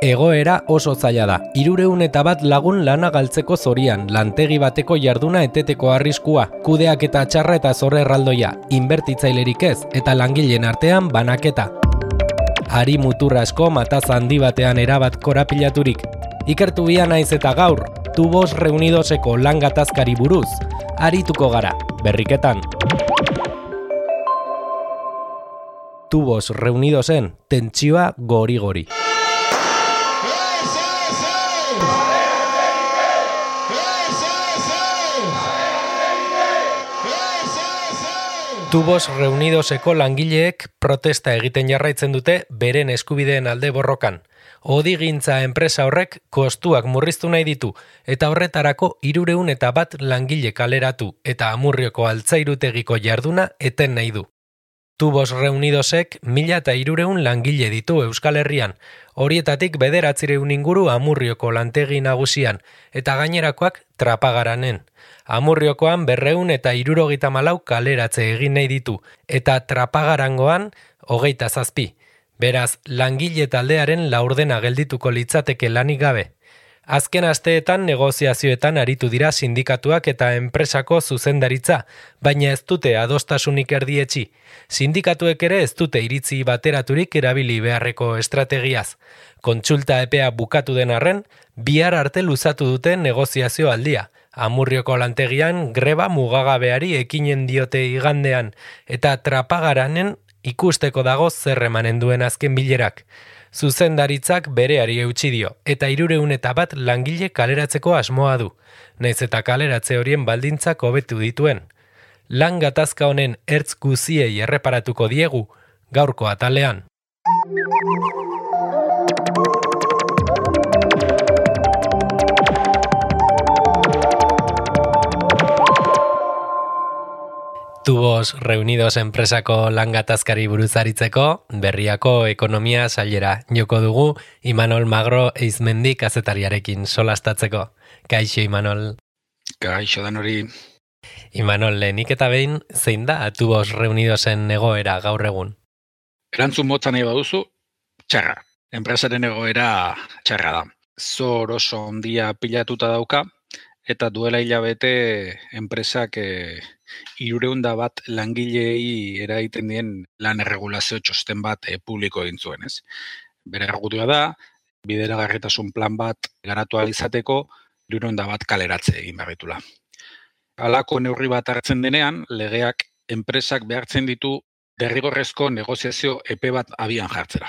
Egoera oso zaila da. 301 lagun lana galtzeko zorian, lantegi bateko jarduna eteteko arriskua, kudeak eta txarra eta zorre erraldoia, inbertitzailerik ez, eta langileen artean banaketa. Ari mutur asko mataz handi batean erabat korapilaturik. Ikertu bia naiz eta gaur, Tubos Reunidoseko lan gatazkari buruz, arituko gara, berriketan. Tubos Reunidosen tentsioa gori-gori. Tubos Reunidoseko langileek protesta egiten jarraitzen dute beren eskubideen alde borrokan. Odigintza enpresa horrek kostuak murriztu nahi ditu eta horretarako 301 langile kaleratu eta Amurrioko altzairutegiko jarduna eten nahi du. Tubos Reunidosek 1300 langile ditu Euskal Herrian, horietatik 900 inguru Amurrioko lantegi nagusian eta gainerakoak Trapagaranen. Amurriokoan 274 kaleratze egin nahi ditu eta Trapagarangoan 27. Beraz, langile taldearen laurdena geldituko litzateke lanik gabe. Azken asteetan negoziazioetan aritu dira sindikatuak eta enpresako zuzendaritza, baina ez dute adostasunik erdietsi. Sindikatuek ere ez dute iritzi bateraturik erabili beharreko estrategiaz. Kontsulta epea bukatu den arren, bihar arte luzatu dute negoziazio aldia. Amurrioko lantegian greba mugagabeari ekinen diote igandean, eta Trapagaranen ikusteko dago zer emanen duen azken bilerak. Zuzendaritzak bereari eutsi dio, eta 301 langile kaleratzeko asmoa du, nahiz eta kaleratze horien baldintzak hobetu dituen. Lan gatazka honen ertz guziei erreparatuko diegu, gaurko atalean. Tubos Reunidos enpresako lan gatazkari buruz aritzeko, berriako ekonomia sailera joko dugu Imanol Magro Eizmendi kazetariarekin solastatzeko. Kaixo, Imanol. Kaixo dan hori. Imanol, lehenik eta behin, zein da Tubos Reunidosen egoera gaur egun? Erantzun motza nahi baduzu, txarra. Enpresaren egoera txarra da. Zor oso ondia pilatuta dauka, eta duela hilabete enpresak 301 langilei eraiten dien lan erregulazio txosten bat publiko egin zuen, ez? Bere argudioa da, bideragarritasun plan bat garatu ahal izateko 301 kaleratze egin behar ditula. Halako neurri bat hartzen denean, legeak enpresak behartzen ditu derrigorrezko negoziazio epe bat abian jartzera.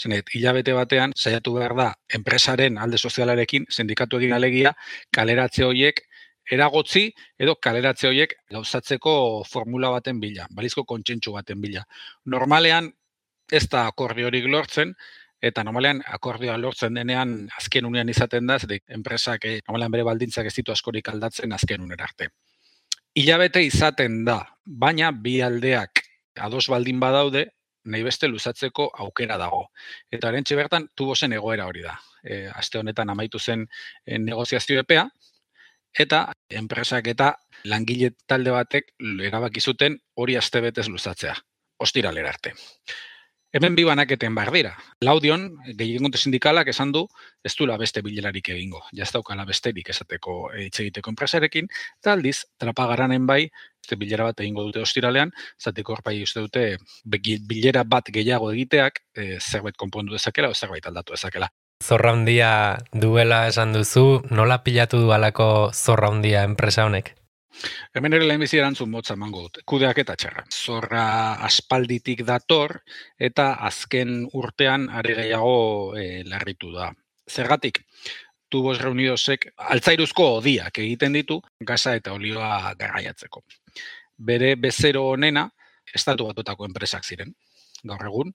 Zenet, hilabete batean saiatu behar da enpresaren alde sozialarekin sindikatu egin alegia kaleratze horiek eragotzi edo kaleratze horiek gauzatzeko formula baten bila, balizko kontsentsu baten bila. Normalean ez da akordiorik lortzen, eta normalean akordioa lortzen denean azken unean izaten da, zetik enpresak normalean bere baldintzak ez ditu askorik aldatzen azken unera arte. Hilabete izaten da, baina bi aldeak ados baldin badaude, nahi beste luzatzeko aukera dago. Eta orentxe bertan, Tubosen egoera hori da. Aste honetan amaitu zen negoziazio epea, eta enpresak eta langile talde batek erabaki zuten hori astebetez luzatzea, ostiralera arte. Hemen bi banaketen behar dira. Laudion, gehiengote sindikalak esan du, ez duela beste bilerarik egingo. Ja ez daukala besterik esateko hitz egiteko enpresarekin, eta aldiz, Trapagaranen bai, beste bilera bat egingo dute ostiralean, zateko horpai uste dute bilera bat gehiago egiteak zerbait konpondu dezakela o zerbait aldatu dezakela. Zorra handia duela esan duzu, nola pilatu du halako zorra handia enpresa honek? Hemen ere lehenbizi erantzun motza emango dut. Kudeak eta txarra. Zorra aspalditik dator eta azken urtean are gehiago larritu da. Zergatik, Tubos Reunidosek altzairuzko odiak egiten ditu gasa eta olioa garraiatzeko. Bere bezero honena estatu batutako enpresak ziren. Gaur egun,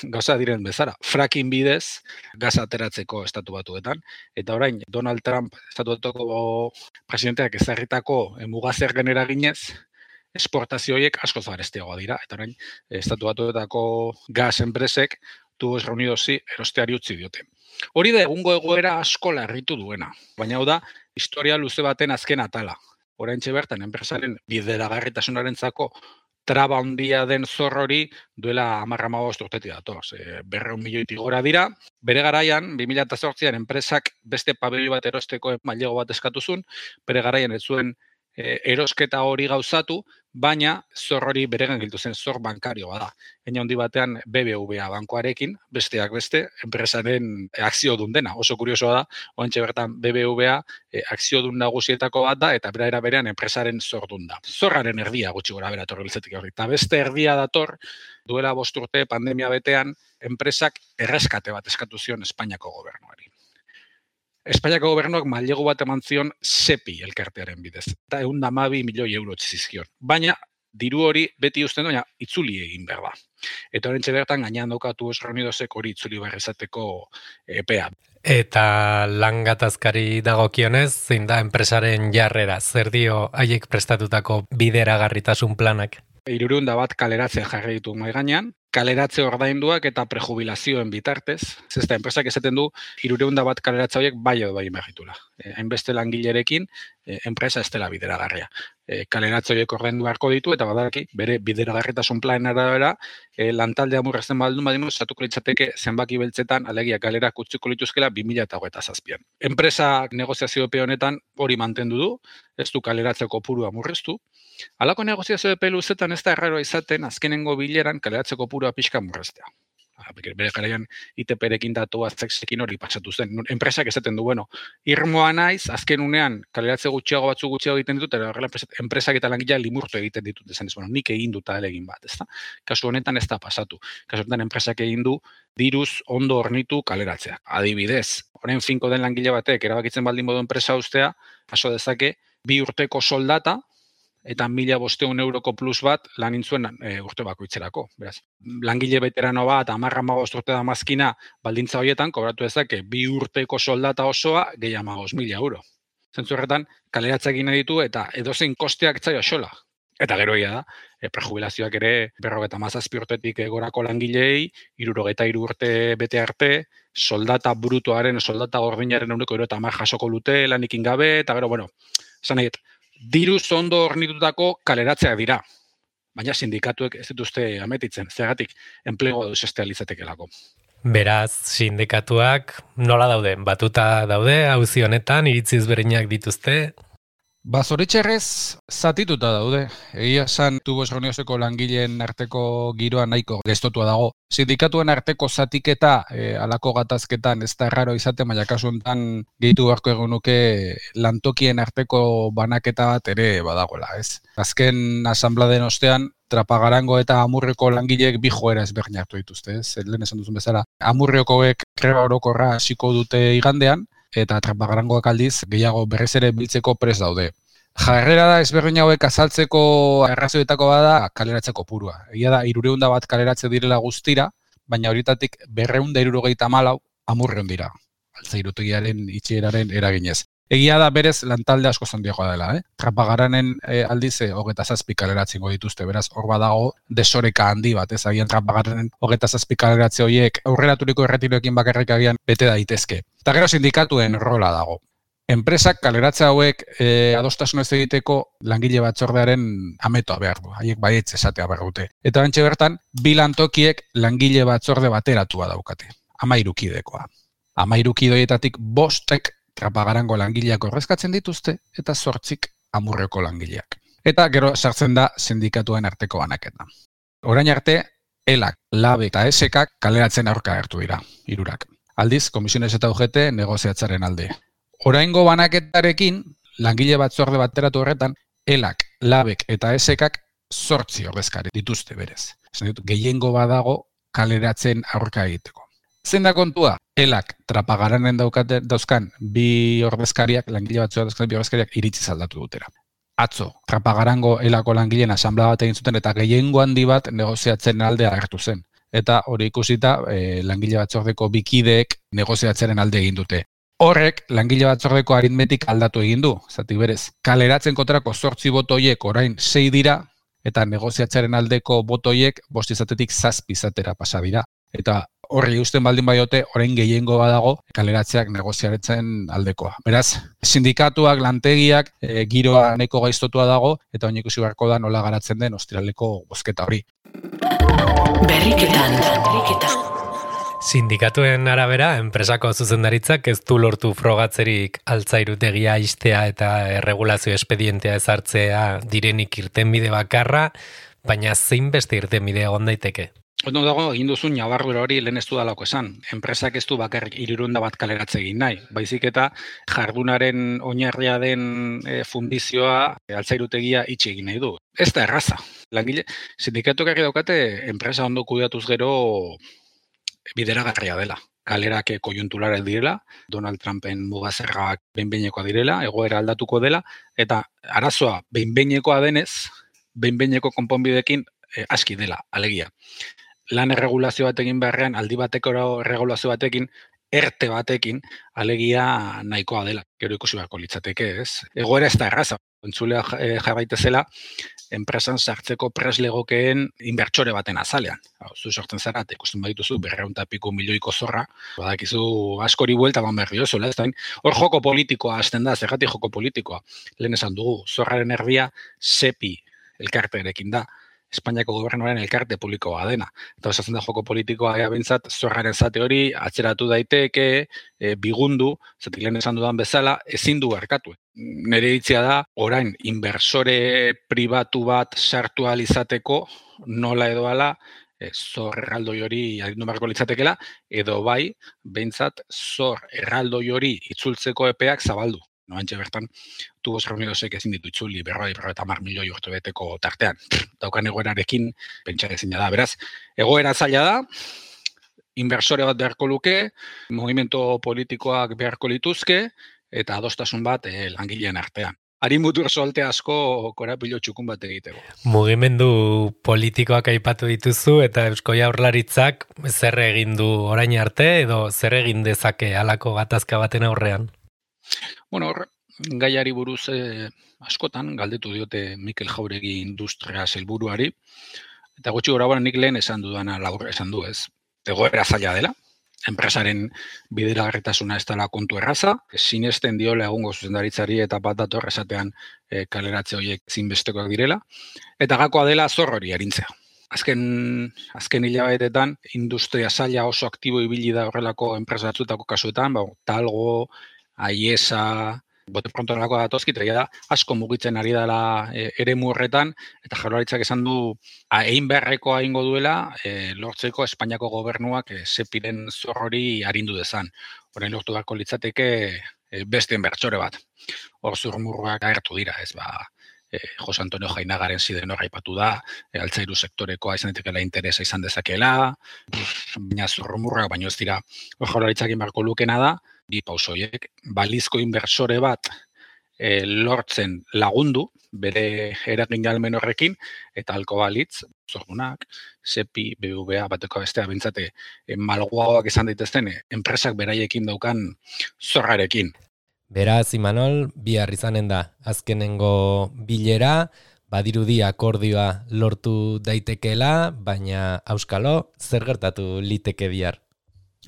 gauza diren bezala, fracking bidez gaza ateratzeko estatu batuetan, eta orain Donald Trump estatu batuko presidenteak ezarritako mugazergen eraginez, esportazio horiek askoz garestiagoa dira, eta orain estatu batuetako gas enpresek Tubos Reunidosi erosteari utzi diote. Hori da egungo egoera asko larritu duena, baina hau da historia luze baten azken atala. Oraintxe bertan enpresaren bideragarritasunarentzako traba handia den zor hori duela 10-15 urtetik dator. 200 milioitik gora dira. Bere garaian, 2008an enpresak beste pabelio bat erosteko mailego bat eskatuzun, bere garaian ez zuen erosketa hori gauzatu, baina zor hori beregan giltu zen, zor bankarioa da. Baina handi batean BBVA bankoarekin, besteak beste, enpresaren akziodun dena. Oso kuriosoa da, oantxe bertan BBVA akziodun nagusietako bat da, eta bera berean enpresaren zordun da. Zorraren erdia gutxi gora bera torriltzetik hori. Eta beste erdia dator, duela 5 urte pandemia betean, enpresak erreskate bat eskatu zion Espainiako gobernuari. Espainiako gobernuak mailegu bat eman zion SEPI elkartearen bidez. Eta 112 milioi euro txizizkion. Baina, diru hori beti uzten baina itzuli egin behar da. Eta horrentxe bertan gainean daukatu Reunidosek hori itzuli behar izateko epea. Eta lan gatazkari dagokionez, zein da enpresaren jarrera, zer dio haiek prestatutako bideragarritasun planak? 301 kaleratzea jarri ditu mahai gainean, kaleratze ordainduak eta prejubilazioen bitartez. Ez da, enpresak esaten du 301 kaleratze horiek bai edo bai behitula. Hainbeste langilerekin, enpresa ez dela bideragarria. Kaleratze horiek ordaindu beharko ditu eta badaraki bere bideragarritasun planen arabera lantaldea murrezten baldun badimuz, satuko litzateke zenbaki beltzetan alegia kalerak utziko lituzkela 2027an. Enpresa negoziazio epe honetan hori mantendu du, ez du kaleratzeko kopurua murreztu. Halako negoziazio epe luzetan ez da erraroa izaten azkenengo bileran kaleratzeko kopurua pixka murreztea. Bere garaian ITP-rekin datu azeksekin hori patsatu zen. Enpresak esaten du, irmoa naiz, azken unean kaleratze gutxiago egiten ditut, eta horrela enpresak eta langilea limurtu egiten ditut esan ez, nik egin dut egin bat, ezta? Kasu honetan ez da pasatu. Kasu honetan enpresak egin du diruz ondo hornitu kaleratzeak. Adibidez, orain finko den langile batek erabakitzen baldin modu enpresa ustea, paso dezake 2 urteko soldata, eta 1.500 euroko plus bat lan intzuen urte bakoitzerako. Beraz, langile veterano bat, 10-15 urte da mazkina, baldintza horietan, kobratu dezake 2 urteko soldata osoa, gehi 15.000 euro. Zentzu horretan, kaleratzea egin ditu eta edozein kosteak zaio xola. Eta gero egia da, prejubilazioak ere 57 urtetik gorako langilei, 63 urte bete arte, soldata brutoaren, soldata gordinaren euneko 70 jasoko lute, lanikin gabe, eta gero, esan nahi, diruz ondo hornitutako kaleratzeak dira. Baina sindikatuek ez dituzte ametitzen, zergatik enplego deusestea litzatekelako. Beraz, sindikatuak nola daude? Batuta daude, auzi honetan, iritziz bereinak dituzte? Zoritxerrez, zatituta daude. Egia esan, Tubos Reunioseko langileen arteko giroa nahiko gestotua dago. Sindikatuen arteko zatiketa, alako gatazketan ez da erraro izate, baina kasu honetan gehitu beharko egunuke lantokien arteko banaketa bat ere badagoela, ez? Azken asanbladen ostean, Trapagarango eta Amurrioko langileek bi joera ezberdin hartu dituzte, ez? Lehen esan duzun bezala, Amurriokoek greba orokorra hasiko dute igandean, eta Trapagarangoak aldiz gehiago berriz ere biltzeko prest daude. Jarrera da ezberdin hauek azaltzeko arrazoietako bada kaleratzeko purua. Egia da 301 kaleratze direla guztira, baina horietatik 274 Amurrion dira. Altzairutegiaren itxieraren eraginez. Egia da berez lantalde asko zondiagoa dela, Trapagaranen aldiz 27 kaleratzingo dituzte, beraz hor badago desoreka handi bat, ez agian Trapagaranen 27 kaleratze horiek aurreraturiko erretiroekin bakarrik agian bete daitezke. Eta gero sindikatuen rola dago. Enpresak kaleratze hauek adostasunez egiteko langile batzordearen ametoa behar du, haiek baietz esatea behar dute. Eta bantxe bertan, bi lantokiek langile batzorde bateratua daukate, 13 kidekoa. 13 kidoietatik 5 Trapagarango langileak ordezkatzen dituzte eta 8 Amurrioko langileak. Eta gero sartzen da sindikatuen arteko banaketa. Orain arte, ELAK, LAB eta ESEKak kaleratzen aurka hartu dira, 3. Aldiz, Komisiones eta UGT negoziatzaren alde. Oraingo banaketarekin, langile batzorde bateratu horretan, ELAK, LABek eta ESEKak 8 ordezkari dituzte berez. Gehiengo badago kaleratzen aurka egiteko. Zein da kontua? ELAK Trapagaranen dauzkan bi ordezkariak, langile batzua dauzkan bi ordezkariak iritzi aldatu dutera. Atzo, Trapagarango ELAko langileen asanblea bat egin zuten eta gehiengo handi bat negoziatzen aldea agertu zen. Eta hori ikusita, langile batzordeko bikideek negoziatzaren alde egin dute. Horrek, langile batzordeko aritmetik aldatu egin du, zati berez. Kaleratzen kontrako 8 botoiek orain 6 dira, eta negoziatzaren aldeko botoiek 5 izatetik 7 izatera pasa dira. eta horri usten baldin baiote, orain gehiengo badago kaleratzeak negoziaretzen aldekoa. Beraz, sindikatuak, lantegiak, giroa nahiko gaiztotua dago, eta oin ikusi beharko da nola garatzen den ostiraleko bozketa hori. Berriketan. Sindikatuen arabera, enpresako zuzendaritzak ez du lortu frogatzerik altzairutegia istea eta erregulazio espedientea ezartzea direnik irtenbide bakarra, baina zein beste irtenbide egon daiteke? Ondo dago, egin duzun ñabardura hori lehen ez du dalako esan. Enpresak ez du bakarrik 300 bat kaleratze egin nahi. Baizik eta jardunaren oinarria den fundizioa altzairutegia itxi egin nahi du. Ez da erraza. Langile, sindikatuak argi daukate enpresa ondo kudeatuz gero bideragarria dela. Kalerak koiunturalak direla, Donald Trumpen mugazerrak behin-behinekoa direla, egoera aldatuko dela, eta arazoa behin-behinekoa denez, behin-behineko konponbidekin aski dela, alegia. Lan erregulazio batekin beharrean, aldi bateko erregulazio batekin, erte batekin, alegia nahikoa dela. Gero ikusi beharko litzateke, ez? Egoera ez da erraza. Entzulea jarraitezela, enpresan sartzeko preslegokeen inbertsore baten azalean. Zu sortzen zara, ikusten badituzu, 200 piku milioiko zorra, badakizu askori buelta eman berri oso, hor joko politikoa hasten da, zergatik joko politikoa. Lehen esan dugu, zorraren erdia SEPI elkartearekin da. Espainiako gobernuaren elkarte publikoa dena. Eta osatzen da joko politikoa bintzat, zorraren zate hori atzeratu daiteke, bigundu, zatik lehen esan dudan bezala, ezin du barkatu. Nere hitzia da, orain, inversore pribatu bat sartu izateko, nola edo ala, zor erraldoi hori agindu beharko litzatekela, edo bai, behintzat, zor erraldoi hori itzultzeko epeak zabaldu. Noantxe bertan, Tubos Reunidosek ezin ditu itzuli 50 milioi urtebeteko tartean. Daukan egoerarekin, pentsa ezina da. Beraz, egoera zaila da, inversore bat beharko luke, movimento politikoak beharko lituzke, eta adostasun bat langileen artean. Harin mutur solte asko korapilo txukun bat egiteko. Mugimendu politikoak aipatu dituzu eta Eusko Jaurlaritzak zer egin du orain arte edo zer egin dezake halako gatazka baten aurrean? Bueno, gaiari buruz askotan galdetu diote Mikel Jauregi industria sailburuari, eta gutxi gorabara nik lehen esan dudana labur esan du, ez? Egoera zaila dela, enpresaren bideragarritasuna ez dela kontu erraza, sinesten diola egungo zuzendaritzari eta bat dator esatean kaleratze horiek zinbestekoak direla, eta gakoa dela zor hori arintzea. Azken hilabetetan, industria saila oso aktibo ibili da horrelako enpresa batzutako kasuetan, Talgo, Aiesa, bote pronto nolako datozkit, da asko mugitzen ari dela eremu horretan, eta Jaurlaritzak esan du egin beharrekoa egingo duela lortzeko Espainiako gobernuak sepiren zor hori arindu dezan. Orain lortu beharko litzateke beste inbertsore bat. Hor zurmurruak agertu dira, ez Jose Antonio Jainagaren ziden hor aipatu da, altzairu sektorekoa izan daitekeela interesa izan dezakela, baina zurmurrak baino ez dira. Hor Jaurlaritzak egin beharko lukena da, bi pausoiek, balizko inbertsore bat lortzen lagundu, bere eragin galmen horrekin, eta halko balitz, zordunak, SEPI, BBVA, bateko bestea, bintzate, malguagoak izan daitezten, enpresak beraiekin daukan zorrarekin. Beraz, Imanol, bihar izanen da, azkenengo bilera, badirudi akordioa lortu daitekeela, baina auskalo, zer gertatu liteke bihar?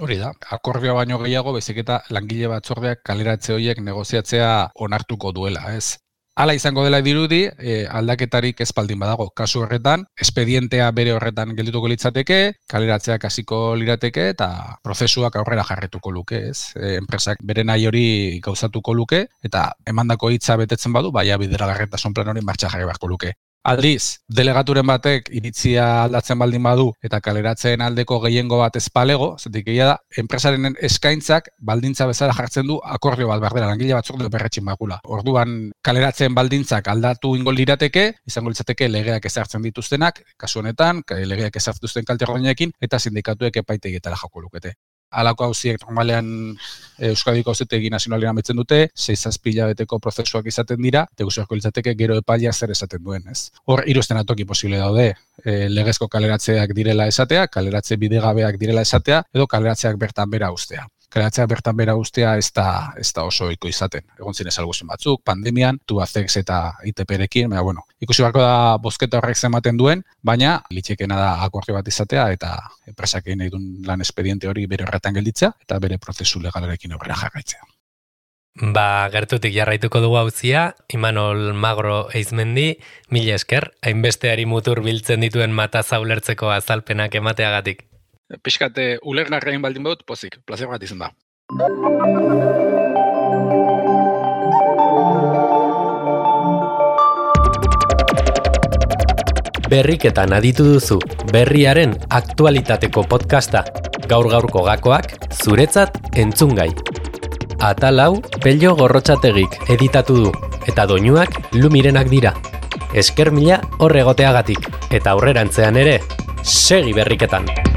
Hori da, akordioa baino gehiago, bezik eta langile batzordeak kaleratze horiek negoziatzea onartuko duela, ez? Hala izango dela dirudi, aldaketarik ez baldin badago. Kasu horretan, espedientea bere horretan geldituko litzateke, kaleratzeak hasiko lirateke eta prozesuak aurrera jarretuko luke, ez? Enpresak bere nahi hori gauzatuko luke eta emandako hitza betetzen badu, baia bideragarritasun plan hori martxa jarri beharko luke. Aldiz, delegaturen batek iritzia aldatzen baldin badu eta kaleratzeen aldeko gehiengo bat ez palego, zetik egia da, enpresaren eskaintzak baldintza bezala jartzen du akordio bat behar dela, langile batzuk berretxin bagula. Orduan, kaleratzeen baldintzak aldatu ingo lirateke, izango litzateke legeak ezartzen dituztenak, kasu honetan, legeak ezartzen dituzten kalte ordainekin, eta sindikatuek epaitegietara joko lukete. Halako hauziek normalean Euskadiko Auzitegi Nazionalean ametzen dute, 6-7 hilabeteko prozesuak izaten dira, eta guztiako litzateke gero epailea zer esaten duen, ez? Hor, 3 atoki posible daude, legezko kaleratzeak direla esatea, kaleratze bidegabeak direla esatea, edo kaleratzeak bertan bera ustea. kaleratzeak bertan bera ustea ez da oso ohiko izaten. Egon ziren salbuespen batzuk, pandemian, Tubacex eta ITP-rekin, baina bueno, ikusi beharko da bozketa horrek zenbaten duen, baina litxekena da akordio bat izatea eta enpresak egin nahi duen lan espediente hori bere horretan gelditzea eta bere prozesu legalarekin aurrera jarraitzea. Gertutik jarraituko dugu hauzia, Imanol Magro Eizmendi, mila esker, hainbesteari mutur biltzen dituen mataza ulertzeko azalpenak emateagatik. Pixkate ulergarrein baldin baut, pozik, plazer bat izan da. Berriketan aditu duzu, berriaren aktualitateko podcasta, gaur-gaurko gakoak, zuretzat entzungai. Atal hau Pello Gorrotxategik editatu du, eta doinuak Lumirenak dira. Esker mila hor egoteagatik, eta aurrerantzean ere, segi berriketan!